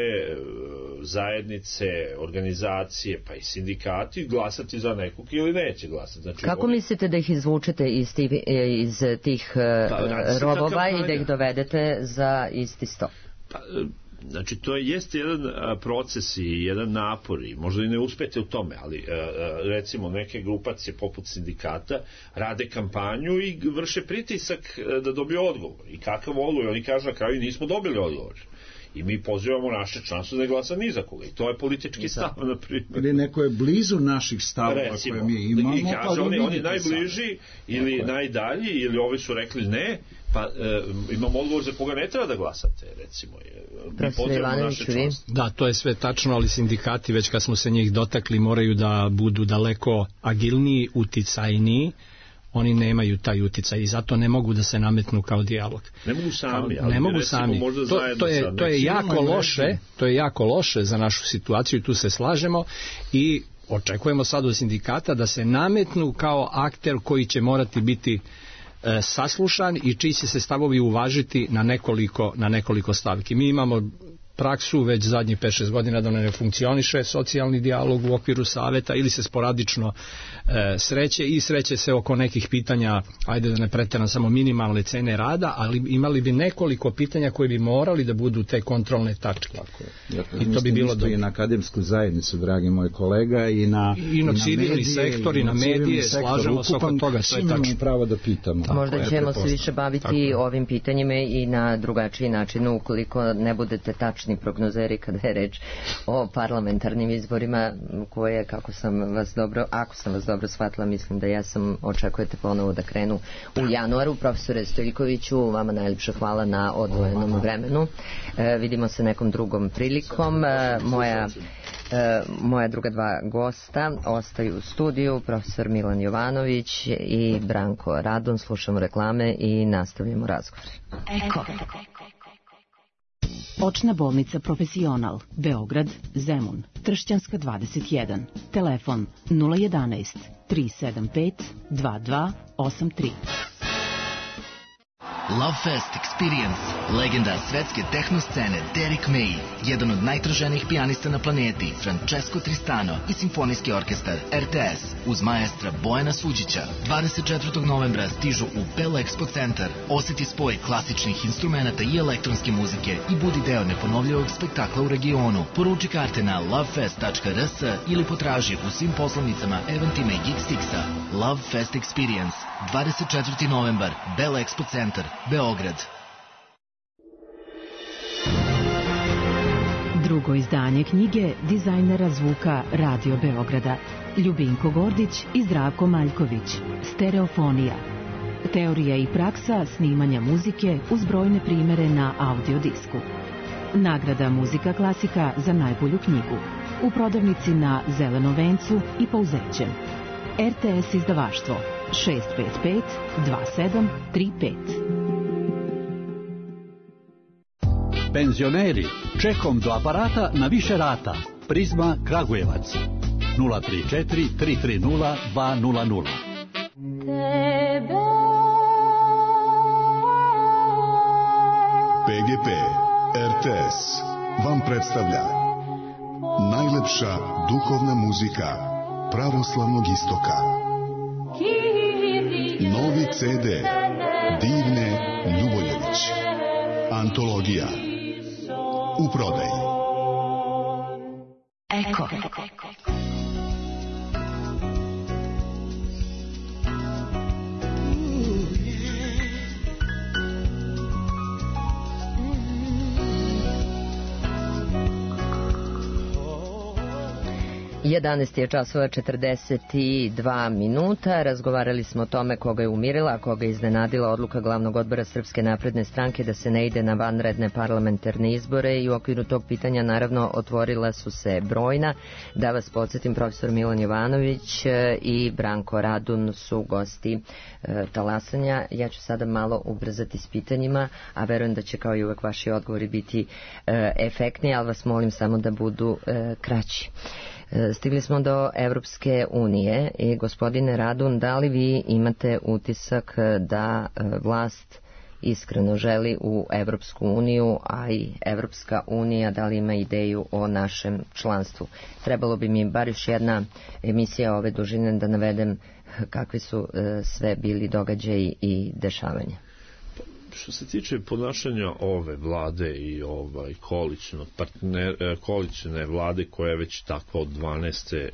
zajednice, organizacije, pa i sindikati glasati za nekog ili neće glasati. Znači, kako oni... mislite da ih izvučete iz tih, iz tih pa, robova i da ih dovedete za isti sto? Pa, znači, to je, jeste jedan proces i jedan napor i možda i ne uspete u tome, ali recimo neke grupacije poput sindikata rade kampanju i vrše pritisak da dobiju odgovor. I kakav odgovor? Oni kažu na kraju nismo dobili odgovor. I mi pozivamo naše članstvo da ne glasa ni za koga. I to je politički stav, na primjer. Ili neko je blizu naših stavova koje mi imamo. I kaže, oni, oni najbliži ili tako najdalji, ili ovi su rekli ne, pa e, imamo odgovor za koga ne treba da glasate, recimo. Mi pozivamo naše članstvo. Da, to je sve tačno, ali sindikati, već kad smo se njih dotakli, moraju da budu daleko agilniji, uticajniji. Oni nemaju taj uticaj i zato ne mogu da se nametnu kao dijalog. Ne mogu sami, ali ne mogu sami. To, to je, to je jako loše, to je jako loše za našu situaciju i tu se slažemo i očekujemo sad od sindikata da se nametnu kao akter koji će morati biti e, saslušan i čiji će se stavovi uvažiti na nekoliko, na nekoliko stavki. Mi imamo praksu već zadnjih pet šest godina da ne funkcioniše socijalni dijalog u okviru saveta ili se sporadično e, sreće i sreće se oko nekih pitanja, ajde da ne preteram, samo minimalne cene rada, ali imali bi nekoliko pitanja koje bi morali da budu te kontrolne tačke. Tako je. Ja, i to bi bilo dobro. I na akademsku zajednicu, dragi moj kolega, i na, i, i na, i na civilni medije, sektor, i na medije, slažemo se oko toga, sve tačno. Pravo da pitamo. Tako možda ćemo se više baviti ovim pitanjima i na drugačiji način, ukoliko ne budete tačni prognozeri kada je reč o parlamentarnim izborima koje, kako sam vas dobro, ako sam vas dobro shvatila, mislim da ja sam, očekujete ponovo da krenu u januaru. Profesore Stojiljkoviću, vama najljepša hvala na odvojenom vremenu. E, vidimo se nekom drugom prilikom. E, moja E, moja druga dva gosta ostaju u studiju, profesor Milan Jovanović i Branko Radon. Slušamo reklame i nastavljamo razgovor. Eko. Očna bolnica Profesional, Beograd, Zemun, Tršćanska dvadeset jedan, telefon nula jedanaest tri sedam pet dva dva osam tri. Love Fest Experience, legenda svetske tehno scene Derek May, jedan od najtraženijih pijanista na planeti, Francesco Tristano i simfonijski orkestar R T S uz maestra Bojana Suđića. dvadeset četvrtog novembra stižu u Bell Expo centar. Oseti spoj klasičnih instrumenta i elektronske muzike i budi deo neponovljivog spektakla u regionu. Poruči karte na lovefest tačka r s ili potraži u svim poslovnicama Eventima i Geekstixa. Love Fest Experience, dvadeset četvrti novembar, Bell Expo centar, Beograd. Drugo izdanje knjige dizajnera zvuka Radio Beograda Ljubinko Gordić i Zdravko Maljković. Stereofonija. Teorija i praksa snimanja muzike uz brojne primere na audio disku. Nagrada Muzika klasika za najbolju knjigu. U prodavnici na Zelenom vencu i Pouzećem. R T S izdavaštvo šest pet pet dva sedam tri pet. Penzioneri, čekom do aparata na više rata. Prizma Kragujevac nula tri četiri tri tri nula dva nula nula. P G P R T S vam predstavlja najlepša duhovna muzika pravoslavnog istoka. Novi C D Divne Ljuboljević. Antologija u prodaji. Eko. jedanaest je časova četrdeset dva minuta. Razgovarali smo o tome koga je umirila, a koga je iznenadila odluka glavnog odbora Srpske napredne stranke da se ne ide na vanredne parlamentarne izbore i u okviru tog pitanja naravno otvorila su se brojna. Da vas podsjetim, profesor Milan Jovanović i Branko Radun su gosti e, talasanja. Ja ću sada malo ubrzati s pitanjima, a verujem da će kao i uvek vaši odgovori biti e, efektni, ali vas molim samo da budu e, kraći. Stigli smo do Evropske unije i gospodine Radun, da li vi imate utisak da vlast iskreno želi u Evropsku uniju, a i Evropska unija da li ima ideju o našem članstvu? Trebalo bi mi bar još jedna emisija ove dužine da navedem kakvi su sve bili događaji i dešavanja. Što se tiče ponašanja ove vlade i ovaj koalicijnog partner, koalicijne vlade koja je već takva od dvanaeste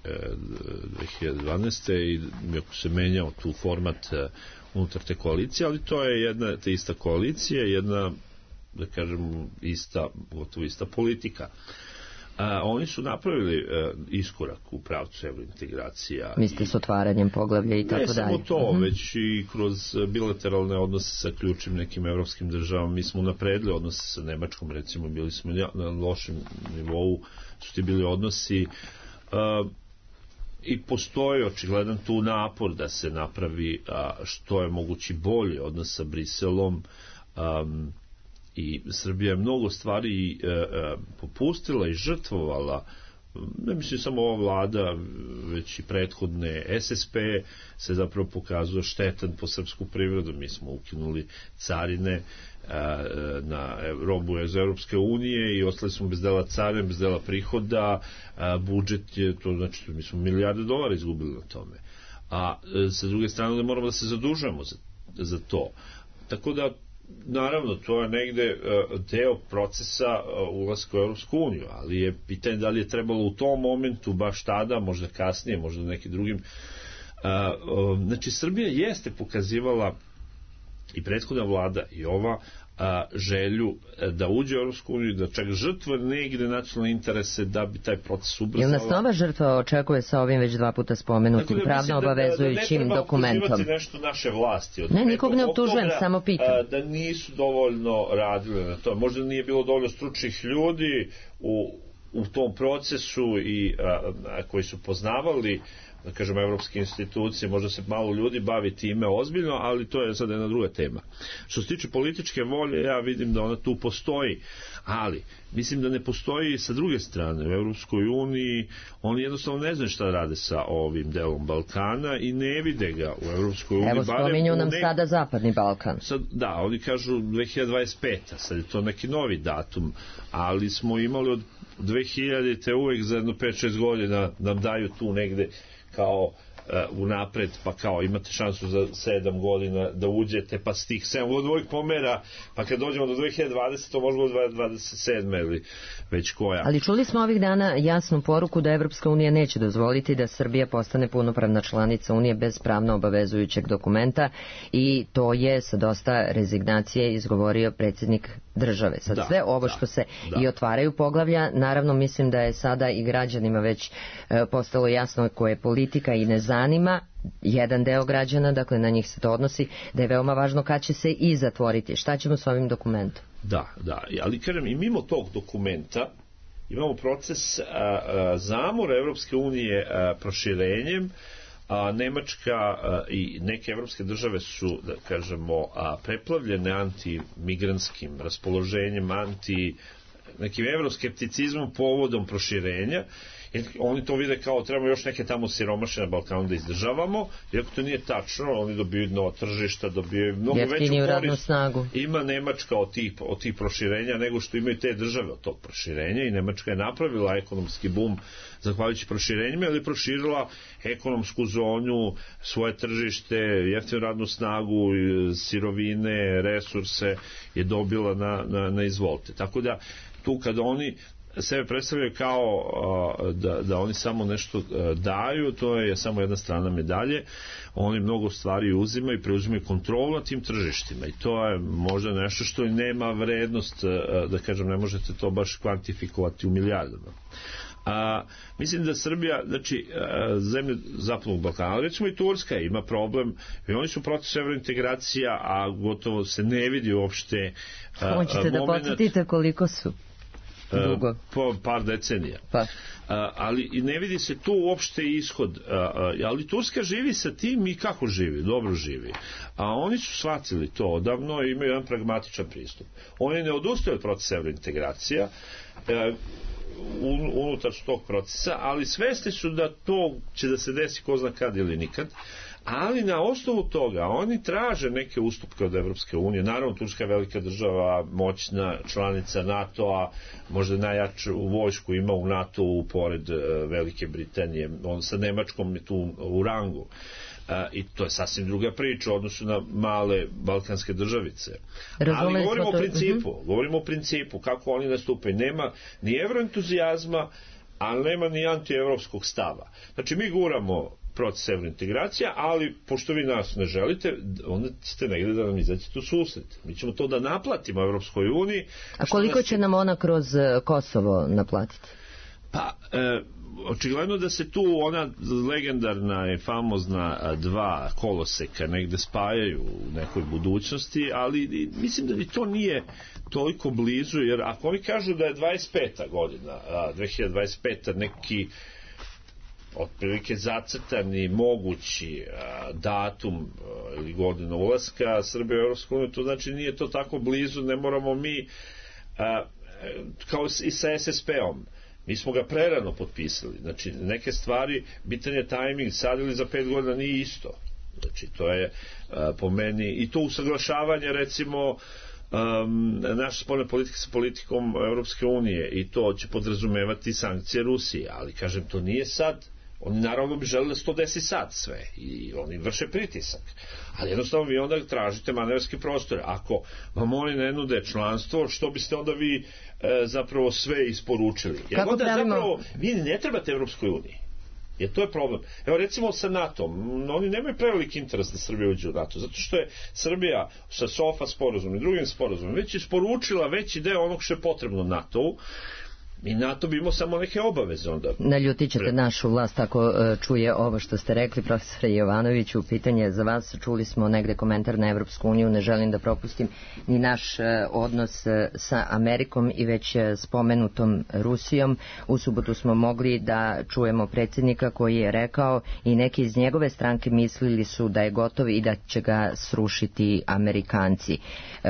dve hiljade dvanaeste i ako se menjao tu format unutar te koalicije, ali to je jedna te ista koalicija, jedna, da kažem, ista, gotovo ista politika. A, oni su napravili a, iskorak u pravcu evrointegracija. Mislite s otvaranjem poglavlja i tako dalje? Ne samo to, uh-huh. već i kroz bilateralne odnose sa ključnim nekim evropskim državama. Mi smo napredili odnose sa Nemačkom, recimo, bili smo na lošem nivou, su ti bili odnosi a, i postoji očigledan tu napor da se napravi a, što je mogući bolje odnos sa Briselom. A, i Srbija je mnogo stvari e, e, popustila i žrtvovala, ne mislim samo ova vlada, već i prethodne. S S P se zapravo pokazuje štetan po srpsku privredu. Mi smo ukinuli carine e, na robu iz Europske unije i ostali smo bez dela carine, bez dela prihoda. E, budžet je, to znači mi smo milijarde dolara izgubili na tome. A e, sa druge strane da moramo da se zadužujemo za, za to. Tako da naravno, to je negde uh, deo procesa uh, ulaska u Europsku uniju, ali je pitanje da li je trebalo u tom momentu, baš tada, možda kasnije, možda nekim drugim. Uh, uh, znači, Srbija jeste pokazivala i prethodna vlada i ova a, želju da uđe u Europsku uniju, da čak žrtva negde nacionalne interese da bi taj proces ubrzala. Jel nas nova žrtva očekuje sa ovim već dva puta spomenutim da pravno obavezujućim da, da, da dokumentom? Ne treba nešto naše vlasti. Ne, nikog ne optužujem, samo pitam. Da nisu dovoljno radile na to. Možda nije bilo dovoljno stručnih ljudi u, u tom procesu i a, a, koji su poznavali da kažem, evropske institucije, možda se malo ljudi bavi time ozbiljno, ali to je sad jedna druga tema. Što se tiče političke volje, ja vidim da ona tu postoji, ali mislim da ne postoji sa druge strane. U Evropskoj uniji oni jednostavno ne znaju šta rade sa ovim delom Balkana i ne vide ga u Evropskoj uniji. Evo, spominju nam nek... sada Zapadni Balkan. Sad, da, oni kažu dve hiljade dvadeset peta, sad je to neki novi datum, ali smo imali od dve hiljadite uvek za jedno pet šest godina nam daju tu negde kao uh, unapred, pa kao imate šansu za sedam godina da uđete, pa s tih sedam godina uvijek pomera, pa kad dođemo do dve hiljade dvadesete to možemo do dvadeset sedme ili već koja. Ali čuli smo ovih dana jasnu poruku da Evropska unija neće dozvoliti da Srbija postane punopravna članica Unije bez pravno obavezujućeg dokumenta i to je sa dosta rezignacije izgovorio predsjednik države. Sad da, sve ovo da, što se da. i otvaraju poglavlja, naravno mislim da je sada i građanima već e, postalo jasno koje je politika i ne zanima jedan deo građana, dakle na njih se to odnosi, da je veoma važno kad će se i zatvoriti. Šta ćemo s ovim dokumentom? Da, da, ali kažem, i mimo tog dokumenta imamo proces a, a, zamora Evropske unije a, proširenjem. A, Nemačka a, i neke evropske države su, da kažemo, a, preplavljene antimigranskim raspoloženjem, anti nekim evroskepticizmom povodom proširenja. Jer oni to vide kao trebamo još neke tamo siromaše na Balkanu da izdržavamo, iako to nije tačno, oni dobiju nova tržišta, dobiju mnogo veću korist. Snagu. Ima Nemačka od tih, od tih proširenja nego što imaju te države od tog proširenja i Nemačka je napravila ekonomski bum zahvaljujući proširenjima, ali je proširila ekonomsku zonu, svoje tržište, jeftinu radnu snagu, sirovine, resurse je dobila na, na, na izvolte. Tako da tu kada oni sebe predstavljaju kao da, da oni samo nešto daju, to je samo jedna strana medalje. Oni mnogo stvari uzimaju i preuzimaju kontrolu nad tim tržištima i to je možda nešto što nema vrednost, da kažem, ne možete to baš kvantifikovati u milijardama. A, mislim da Srbija, znači a, zemlje Zapadnog Balkana, recimo i Turska ima problem i oni su proces evrointegracija, a gotovo se ne vidi uopšte a, hoćete da podsjetite koliko su? Dugo. Po par decenija. Pa. A, ali i ne vidi se tu uopšte ishod. A, a, ali Turska živi sa tim i kako živi? Dobro živi. A oni su shvatili to odavno i imaju jedan pragmatičan pristup. Oni ne odustaju od procesa evrointegracija, a, un, unutar tog procesa, ali svesni su da to će da se desi ko zna kad ili nikad. Ali na osnovu toga oni traže neke ustupke od Evropske unije. Naravno, Turska je velika država, moćna članica NATO-a, možda najjaču vojsku ima u NATO-u pored Velike Britanije. On sa Nemačkom je tu u rangu. I to je sasvim druga priča u odnosu na male balkanske državice. Razumeli Ali govorimo to... o principu, uh-huh. govorimo o principu, kako oni nastupaju. Nema ni evroentuzijazma, ali nema ni antievropskog stava. Znači, mi guramo proces evrointegracija, ali pošto vi nas ne želite, onda ste negde da nam izađete u susret. Mi ćemo to da naplatimo Evropskoj uniji. A koliko će nam ona kroz Kosovo naplatiti? Pa, e, očigledno da se tu ona legendarna i famozna dva koloseka negde spajaju u nekoj budućnosti, ali mislim da ni to nije toliko blizu, jer ako oni kažu da je dvadeset peta godina, dve hiljade dvadeset peta neki otprilike zacrtani mogući a, datum a, ili godina ulaska Srbije u Evropsku uniju, to znači nije to tako blizu, ne moramo mi a, kao i sa es es pe-om. Mi smo ga prerano potpisali. Znači, neke stvari, bitan je tajming, sad ili za pet godina nije isto. Znači, to je a, po meni, i to usaglašavanje, recimo, um, naše spoljne politike sa politikom Evropske unije, i to će podrazumevati sankcije Rusije, ali, kažem, to nije sad. Oni naravno bi želeli da se to desi sad sve i oni vrše pritisak. Ali jednostavno vi onda tražite manevarski prostor. Ako vam oni ne nude članstvo, što biste onda vi e, zapravo sve isporučili? Jer Kako onda pravimo? Zapravo vi ne trebate Evropskoj uniji. Jer to je problem. Evo recimo sa NATO-om, oni nemaju preveliki interes da Srbija uđe u NATO, zato što je Srbija sa SOFA sporazumom i drugim sporazumom već isporučila veći deo onog što je potrebno NATO-u. I NATO bi imao samo neke obaveze onda. Naljutit ćete našu vlast ako uh, čuje ovo što ste rekli, profesore Jovanoviću. Pitanje je za vas, čuli smo negde komentar na Evropsku uniju, ne želim da propustim ni naš uh, odnos uh, sa Amerikom i već uh, spomenutom Rusijom. U subotu smo mogli da čujemo predsjednika koji je rekao i neki iz njegove stranke mislili su da je gotov i da će ga srušiti Amerikanci. Uh,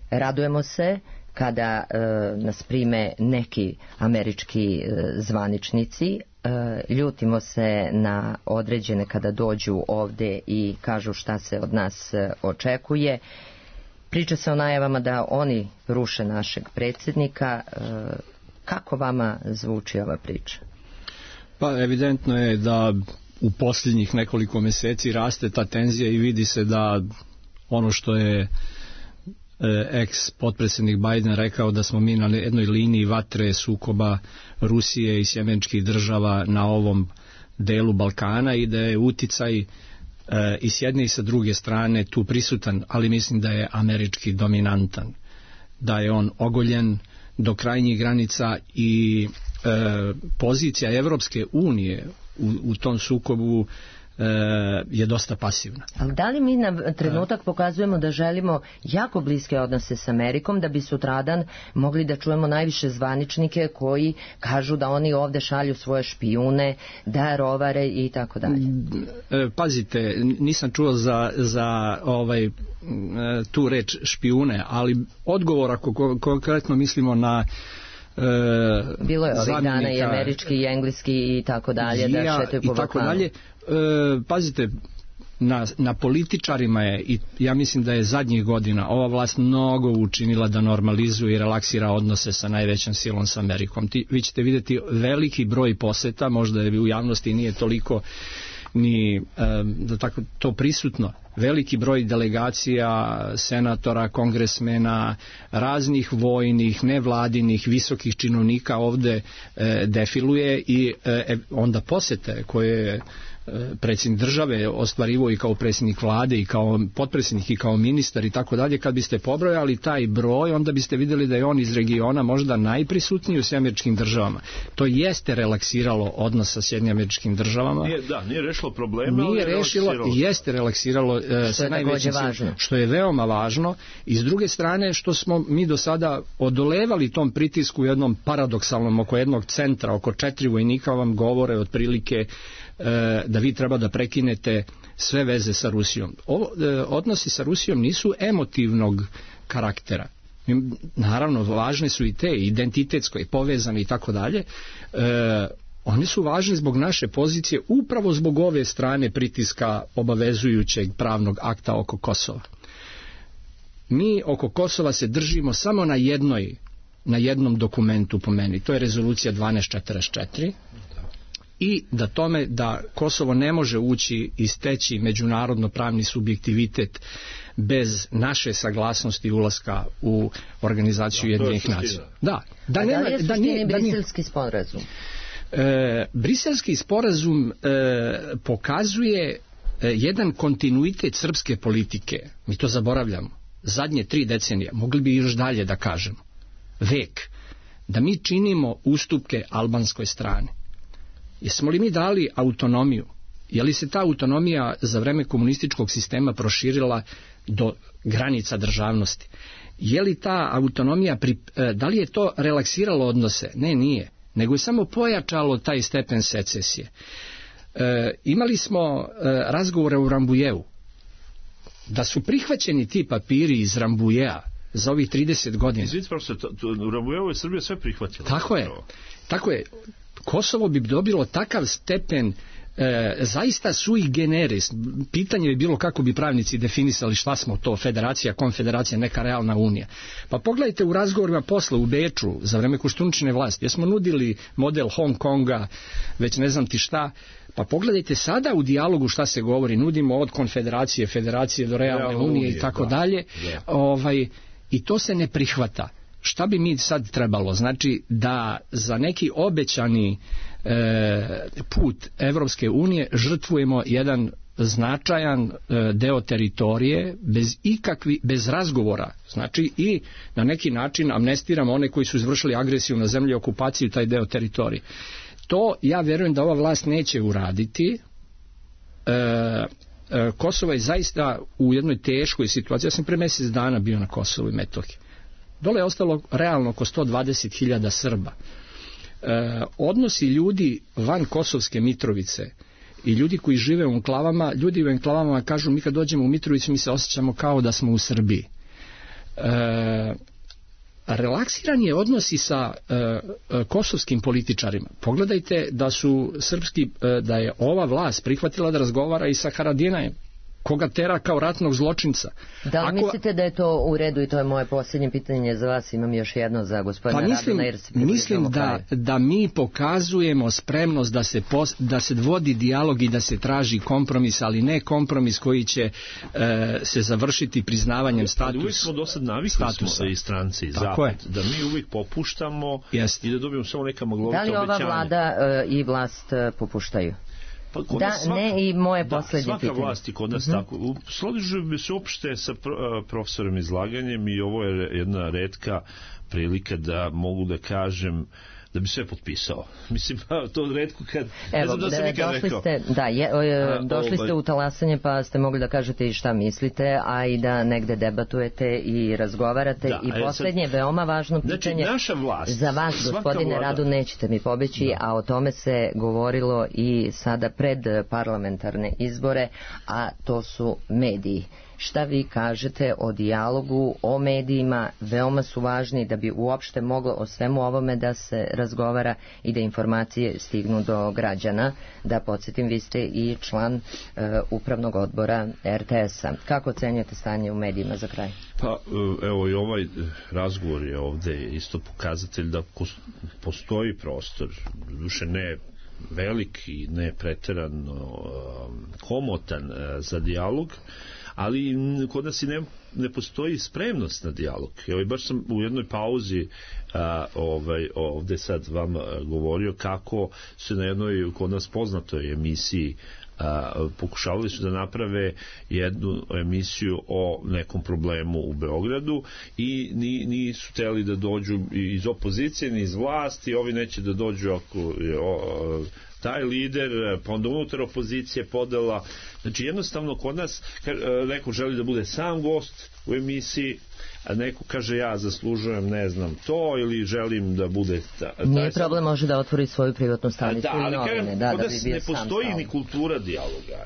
radujemo se kada e, nas prime neki američki e, zvaničnici, e, ljutimo se na određene kada dođu ovde i kažu šta se od nas e, očekuje. Priča se o najavama da oni ruše našeg predsjednika. E, kako vama zvuči ova priča? Pa evidentno je da u posljednjih nekoliko mjeseci raste ta tenzija i vidi se da ono što je ex potpredsjednik Biden rekao da smo mi na jednoj liniji vatre sukoba Rusije i sjemeničkih država na ovom delu Balkana i da je uticaj e, i s jedne i sa druge strane tu prisutan, ali mislim da je američki dominantan, da je on ogoljen do krajnjih granica i e, pozicija Evropske unije u, u tom sukobu je dosta pasivna. Ali da li mi na trenutak pokazujemo da želimo jako bliske odnose s Amerikom, da bi sutradan mogli da čujemo najviše zvaničnike koji kažu da oni ovde šalju svoje špijune, da rovare i tako dalje? Pazite, nisam čuo za, za ovaj, tu reč špijune, ali odgovor ako konkretno mislimo na E, bilo je ovih dana i američki i engleski i tako dalje, da šetaju po Balkanu. E, pazite, na, na političarima je, i ja mislim da je zadnjih godina ova vlast mnogo učinila da normalizuje i relaksira odnose sa najvećom silom sa Amerikom. Ti, vi ćete vidjeti veliki broj poseta, možda je u javnosti nije toliko ni da tako to prisutno, veliki broj delegacija, senatora, kongresmena, raznih vojnih, nevladinih, visokih činovnika ovde e, defiluje i e, onda posete koje predsjednik države ostvarivao i kao predsjednik vlade i kao potpredsjednik i kao ministar i tako dalje. Kad biste pobrojali taj broj, onda biste vidjeli da je on iz regiona možda najprisutniji u Sjedinjenim Američkim Državama. To jeste relaksiralo odnos sa Sjedinjenim Američkim Državama. Nije, da, nije rešilo probleme, nije ali rešilo i jeste relaksiralo uh, sa najvećim silom, što je veoma važno. I s druge strane, što smo mi do sada odolevali tom pritisku jednom paradoksalnom oko jednog centra, oko četiri vojnika vam govore otprilike da vi treba da prekinete sve veze sa Rusijom. Ovo, odnosi sa Rusijom nisu emotivnog karaktera. Naravno, važne su i te, identitetsko i povezane i tako dalje. Oni su važni zbog naše pozicije, upravo zbog ove strane pritiska obavezujućeg pravnog akta oko Kosova. Mi oko Kosova se držimo samo na jednoj, na jednom dokumentu po meni. To je rezolucija dvanaest četrdeset četiri. I da tome da Kosovo ne može ući i steći međunarodno pravni subjektivitet bez naše saglasnosti ulaska u organizaciju Ujedinjenih nacija. Da, da, nema, da li je da nije, briselski sporazum? E, briselski sporazum e, pokazuje e, jedan kontinuitet srpske politike. Mi to zaboravljamo. Zadnje tri decenije, mogli bi još dalje da kažemo. Vek. Da mi činimo ustupke albanskoj strani. Jesmo li mi dali autonomiju? Je li se ta autonomija za vreme komunističkog sistema proširila do granica državnosti? Je li ta autonomija, pri, da li je to relaksiralo odnose? Ne, nije. Nego je samo pojačalo taj stepen secesije. E, imali smo e, razgovore u Rambujevu. Da su prihvaćeni ti papiri iz Rambujeja za ovih trideset godina. Izvidite, profesor, u Rambujevu je Srbija sve prihvatila. Tako je. Tako je. Kosovo bi dobilo takav stepen e, zaista sui generis. Pitanje bi bilo kako bi pravnici definisali šta smo to, federacija, konfederacija, neka realna unija. Pa pogledajte u razgovorima posle u Beču za vreme Koštuničine vlasti, jer smo nudili model Hong Konga, već ne znam ti šta. Pa pogledajte sada u dijalogu šta se govori, nudimo od konfederacije, federacije do realne Realno unije, unije i tako da, dalje. Da. Ovaj, i to se ne prihvata. Šta bi mi sad trebalo? Znači da za neki obećani e, put Evropske unije žrtvujemo jedan značajan deo teritorije bez ikakvi, bez razgovora. Znači i na neki način amnestiramo one koji su izvršili agresiju na zemlju i okupaciju taj deo teritorije. To ja vjerujem da ova vlast neće uraditi. E, e, Kosovo je zaista u jednoj teškoj situaciji. Ja sam pre mjesec dana bio na Kosovu i Metohiji. Dole je ostalo realno oko sto dvadeset hiljada Srba. E, odnosi ljudi van Kosovske Mitrovice i ljudi koji žive u enklavama, ljudi u enklavama kažu mi kad dođemo u Mitrovicu mi se osjećamo kao da smo u Srbiji. E, relaksiran je odnosi sa e, e, kosovskim političarima. Pogledajte da su srpski, e, da je ova vlast prihvatila da razgovara i sa Haradinajem, koga tera kao ratnog zločinca. Da li Ako... mislite da je to u redu i to je moje posljednje pitanje za vas, imam još jedno za gospodina pa mislim, Raduna jer se mislim da, da mi pokazujemo spremnost da se, pos, da se vodi dijalog i da se traži kompromis, ali ne kompromis koji će e, se završiti priznavanjem statusa. Uvijek smo do sad navikli smo i stranci i zapad, da mi uvijek popuštamo Jest. i da dobijemo samo neka maglovita obećanja. Da li ova vlada e, i vlast e, popuštaju? Pa da, svaka, ne i moje posljednje pitanje. Svaka vlast i kod nas mm-hmm. tako. Složio bi se uopšte sa profesorom izlaganjem i ovo je jedna retka prilika da mogu da kažem da bi sve potpisao. Mislim, to redko kad... Evo, ne znam da sam nikad došli rekao. Ste, da, je, o, došli ste u talasanje pa ste mogli da kažete i šta mislite, a i da negde debatujete i razgovarate. Da, i posljednje, sad, veoma važno pitanje. Znači, naša vlast... Za vas, gospodine Radu, nećete mi pobeći, da. A o tome se govorilo i sada pred parlamentarne izbore, a to su mediji. Šta vi kažete o dijalogu, o medijima, veoma su važni da bi uopšte moglo o svemu ovome da se razgovara i da informacije stignu do građana. Da podsjetim, vi ste i član uh, upravnog odbora er te es-a. Kako ocenjujete stanje u medijima za kraj? Pa evo i ovaj razgovor je ovde isto pokazatelj da postoji prostor, duše ne velik i ne preterano komotan za dijalog, ali kod nas i ne, ne postoji spremnost na dijalog. Evo, baš sam u jednoj pauzi a, ovaj, ovde sad vam govorio kako se na jednoj kod nas poznatoj emisiji a, pokušavali su da naprave jednu emisiju o nekom problemu u Beogradu i ni, nisu hteli da dođu iz opozicije ni iz vlasti, ovi neće da dođu ako je o, taj lider, pa onda unutar opozicije podela. Znači jednostavno kod nas neko želi da bude sam gost u emisiji, a neko kaže ja zaslužujem ne znam to ili želim da bude ta, nije problem, može da otvori svoju privatnu stanicu da, ali novine, da, kod da nas bi ne postoji ni kultura dijaloga.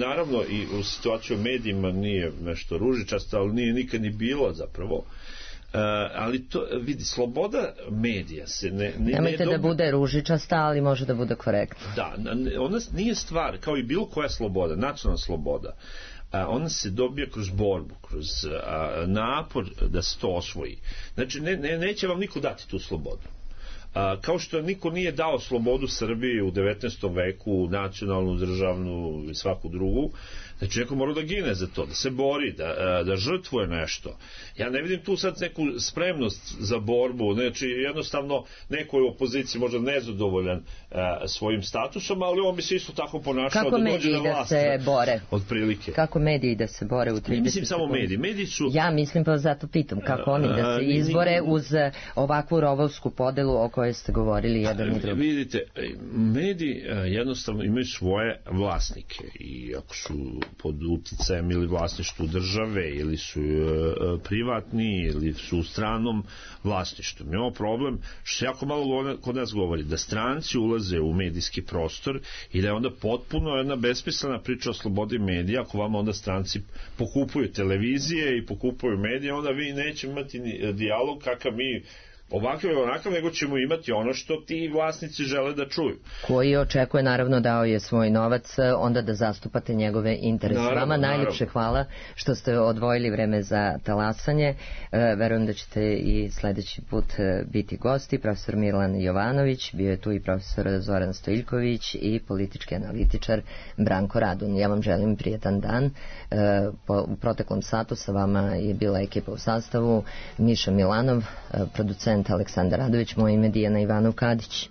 Naravno i u situaciju medijima nije nešto ružičasto, ali nije nikad ni bilo zapravo. Uh, ali to, vidi, sloboda medija se ne... ne nemojte ne da bude ružičasta, ali može da bude korektno. Da, ona nije stvar, kao i bilo koja sloboda, nacionalna sloboda, uh, ona se dobija kroz borbu, kroz uh, napor da se to osvoji. Znači, ne, ne, neće vam niko dati tu slobodu. A, kao što niko nije dao slobodu Srbiji u devetnaestom veku, nacionalnu, državnu i svaku drugu, znači neko mora da gine za to, da se bori, da, da žrtvuje nešto. Ja ne vidim tu sad neku spremnost za borbu, znači jednostavno neko je u opoziciji možda nezadovoljan a, svojim statusom, ali on bi se isto tako ponašao kako da dođe na vlast. Kako mediji da se bore? Od prilike. Kako mediji da se bore u trideset? Mislim samo mediji. Mediji su... Ja mislim, pa zato pitam, kako oni da se izbore uz ovakvu rovovsku podelu o kojoj ste govorili jedan i drugi. Vidite, mediji jednostavno imaju svoje vlasnike i ako su pod uticajem ili vlasništvu države ili su privatni ili su u stranom vlasništvu. Imamo problem što se jako malo kod nas govori da stranci ulaze u medijski prostor i da je onda potpuno jedna besmislena priča o slobodi medija. Ako vama onda stranci pokupuju televizije i pokupuju medije, onda vi neće imati dijalog kakav mi ovakav ili onakav, nego ćemo imati ono što ti vlasnici žele da čuju. Koji očekuje, naravno, dao je svoj novac, onda da zastupate njegove interese. Naravno, Vama najljepše naravno. Hvala što ste odvojili vreme za talasanje. E, verujem da ćete i sledeći put biti gosti. Profesor Milan Jovanović, bio je tu i profesor Zoran Stojiljković i politički analitičar Branko Radun. Ja vam želim prijetan dan. E, po, u proteklom satu sa vama je bila ekipa u sastavu Miša Milanov, producent Aleksandar Radović, moje ime Dijana Ivanov Kadić.